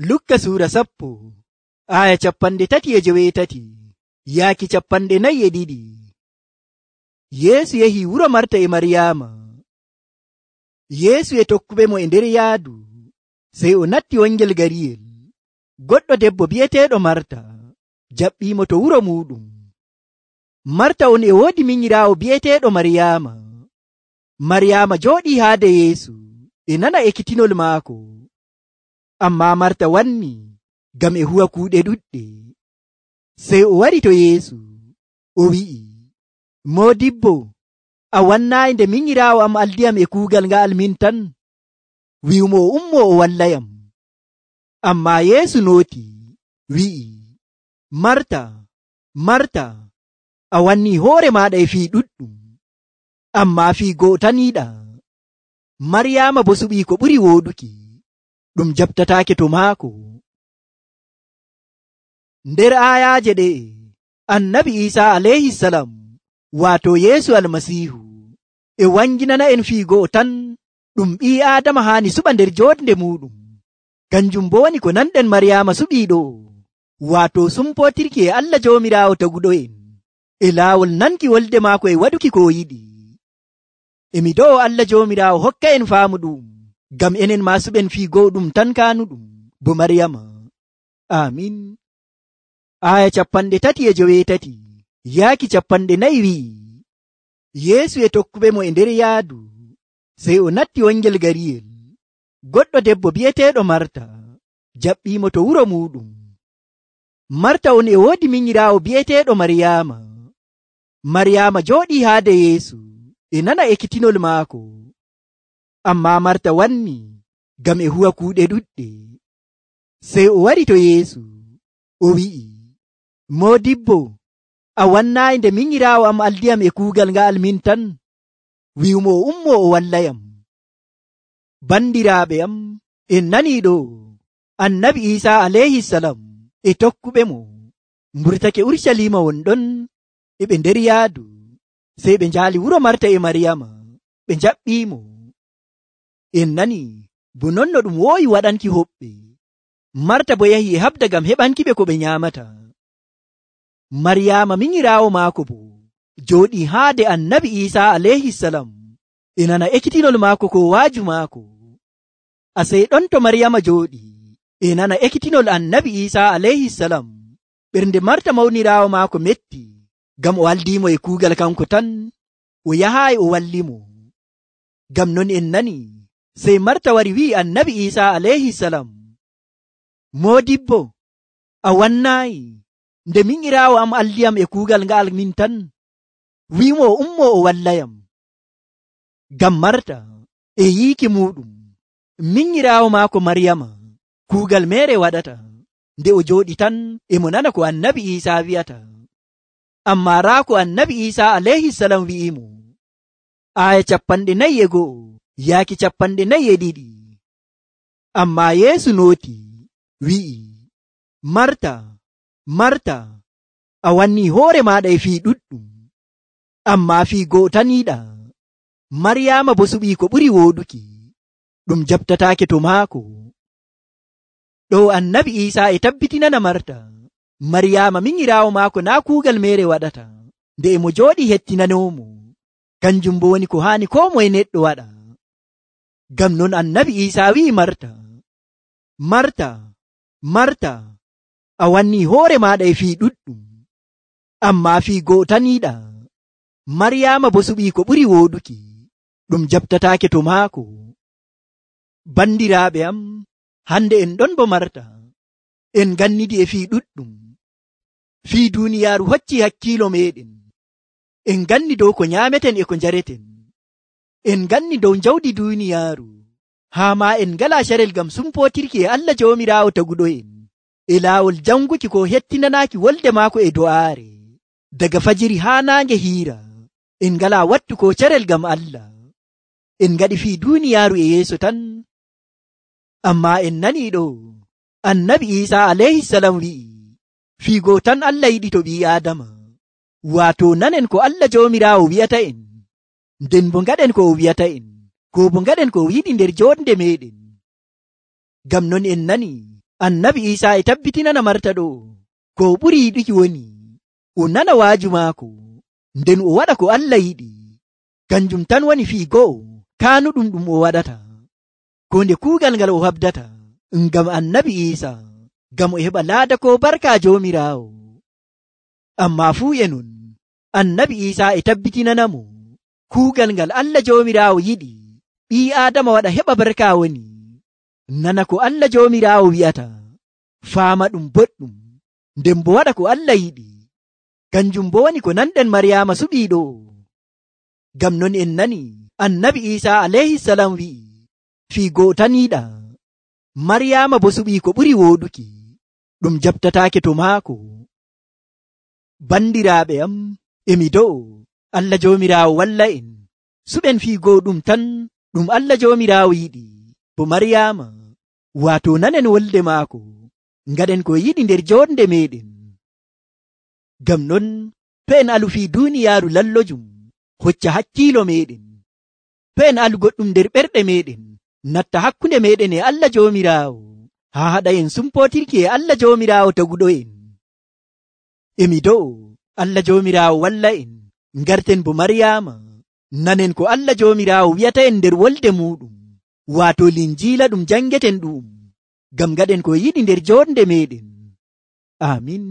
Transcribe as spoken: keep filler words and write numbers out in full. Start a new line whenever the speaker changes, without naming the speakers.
Lukka suura sappo aya capanɗe tati e joweetati yaaki capanɗe nayi e ɗiɗi. Yeesu yahi wuro Marta e Maryaama. Yeesu e tokkuɓe mo e nder yaadu, sey o natti wangel gariyel. Goɗɗo debbo bi'eteeɗo Marta jaɓɓiimo to wuro muuɗum. Marta on e woodi minyiraawo bi'eteeɗo Maryaama. Maryaama jooɗii haade Yeesu e nana ekkitinol maako. Ammaa Marta wanni ngam e huwa kuuɗe ɗuɗɗe. Sey o wari to Yeesu o wi'i, Moodibbo, a wannaayi nde minyiraawo am aldiyam e kuugal nga'al min tan? Wi'umo o ummo o wallayam. Ammaa Yeesu nooti wi'i, Marta, Marta, a wannii hoore maaɗa e fii ɗuɗɗum, ammaa fii go'o tan yiɗaa. Maryaama bo suɓii ko ɓuri wooɗuki, ɗum jaɓtataake to maako. Nder aayaaje ɗe'e, annabi Iisaa alayhisalam, waato Yeesu almasiihu, e wanginana en fii go'o tan ɗum ɓii Aadama haani suɓa nder jooɗnde muuɗum. Kanjum bo woni ko nanɗen Maryaama suɓii ɗo, waato sumpootirki e Allah Joomiraawo taguɗo'en, e laawol nanki wolde maako e waɗuki ko o yiɗi. Emi do'o Allah Joomiraawo hokka en faamu ɗum, ngam enen maa suɓen fii go'o ɗum tan kaanuɗum bo Maryaama. Aamin. Aya capanɗe tati e joweetati yaaki capanɗe nayi wi'i, Yeesu e tokkuɓe mo e nder yaadu, sey o natti wangel gariyel. Goɗɗo debbo bi'eteeɗo Marta jaɓɓiimo to wuro muuɗum. Marta on e woodi minyiraawo bi'eteeɗo Maryaama. Maryaama jooɗii haade Yeesu e nana ekkitinol maako. Ammaa Marta wanni ngam e huwa kuuɗe ɗuɗɗe. Sey o wari to Yeesu o wi'i, Moodibbo, a wannaayi nde minyiraawo am aldiyam e kuugal nga'al min tan? Wi'umo o ummo o wallayam. Bandiraaɓe am, en nanii ɗo, annabi Iisaa alayhisalam e tokkuɓe mo mburtake Urucaliima wonɗon e ɓe nder yaadu, sey ɓe njaali wuro Marta e Maryaama ɓe njaɓɓiimo. En nanii bo non no ɗum woowi waɗanki hoɓɓe. Marta bo yahi e haɓda ngam heɓankiɓe ko ɓe nyaamata. Maryaama minyiraawo maako bo jooɗii haade annabi Iisaa alayhisalam e nana ekkitinol maako ko waaju maako. Asey ɗon to Maryaama jooɗii e nana ekkitinol annabi Iisaa alayhisalam, ɓernde Marta mawniraawo maako metti, ngam o aldiimo e kuugal kanko tan, o yahaayi o wallimo. Ngam non en nani sey Marta wari wi'i annabi Iisaa alayhisalam, Moodibbo, a wannaayi nde minyiraawo am aldiyam e kuugal nga'al min tan? Wi'umo o ummo o wallayam. Ngam Marta e yiiki muuɗum minyiraawo maako Maryaama kuugal meere waɗata, nde o jooɗi tan e mo nana ko annabi Iisaa wi'ata. Ammaa raa ko annabi Iisaa alayhisalam wi'imo. Aya capanɗe nayi e go'o yaaki capanɗe nayi e ɗiɗi. Ammaa Yeesu nooti wi'i, Marta, Marta, a wannii hoore maaɗa e fii ɗuɗɗum, ammaa fii go'o tan yiɗaa. Maryaama bo suɓii ko ɓuri wooɗuki, ɗum jaɓtataake to maako. Ɗo annabi Iisaa e tabbitinana Marta, Maryaama minyiraawo maako naa kuugal meere waɗata, nde e mo jooɗi hettinanoomo. Kanjum bo woni ko haani koo moye neɗɗo waɗa. Ngam non annabi Iisaa wi'i Marta, Marta, Marta, a wannii hoore maaɗa e fii ɗuɗɗum, ammaa fii go'o tan yiɗaa. Maryaama bo suɓii ko ɓuri wooɗuki, ɗum jaɓtataake to maako. Bandiraaɓe am, hande en ɗon bo Marta, en gannidi e fii ɗuɗɗum. Fii duuniyaaru hocci hakkiilo meeɗen. En ganni dow ko nyaameten e ko njareten. En ganni dow jawdi duuniyaaru, haa maa en ngalaa carel ngam sumpootirki e Allah Joomiraawo taguɗo'en, e laawol janguki ko hettinanaaki wolde maako e do'aare. Daga fajiri haa naange hiira, en ngalaa wattu ko carel ngam Allah. En ngaɗi fii duuniyaaru e yeeso tan. Ammaa en nanii ɗo, annabi Iisaa alayhisalam wi'i, fii goo tan Allah yiɗi to ɓii Aadama. Waato nanen ko Allah Joomiraawo wi'ata en, nden bo ngaɗen ko o wi'ata en, ko bo ngaɗen ko o yiɗi nder jooɗnde meeɗen. Ngam non en nani annabi Iisaa e tabbitinana marta ɗo ko o ɓuri yiɗuki woni o nana waaju maako nden o waɗa ko Allah yiɗi. Kanjum tan woni fii go'o kaanuɗum ɗum o waɗata, ko nde kuugal ngal o habdata ngam annabi Iisaa, ngam o heɓa laada ko barka Joomiraawo. Amma fuu e non annabi Iisaa e tabbitinanamo kuugal ngal Allah Joomiraawo yiɗi ɓii Aadama waɗa heɓa barka woni nana ko Allah Joomiraawo wi'ata, faama ɗum boɗɗum, nden bo waɗa ko Allah yiɗi. Kanjum bo woni ko nanɗen Maryaama suɓii ɗo. Ngam non en nani annabi Iisaa alayhisalam wi'i fii go'o taniiɗa, Maryaama bo suɓii ko ɓuri wooɗuki ɗum jaɓtataake to maako. Bandiraaɓe am, emi do'o Allah Joomiraawo walla en suɓen fii go'o ɗum tan ɗum Allah Joomiraawo yiɗi, bo Maryaama waato nanen wolde maako, ngaɗen ko yiɗi nder joonde meɗen. Ngam non to en alu fii duuniyaaru lallojum hocca hakkiilo meɗen, to en alu goɗɗum nder ɓerɗe meɗen natta hakkunde meɗen e Allah Joomiraawo, haa haɗa en sumpotirki e Allah Joomiraawo taguɗo en. Emi do'o Allah Joomiraawo walla en ngarten bo Maryaama, nanen ko Allah Joomiraawo wi'ata en nder wolde muɗum, waato linjiila ɗum jangeten ɗum, ngam ngaɗen ko yiɗi nder joonde meɗen. Amin.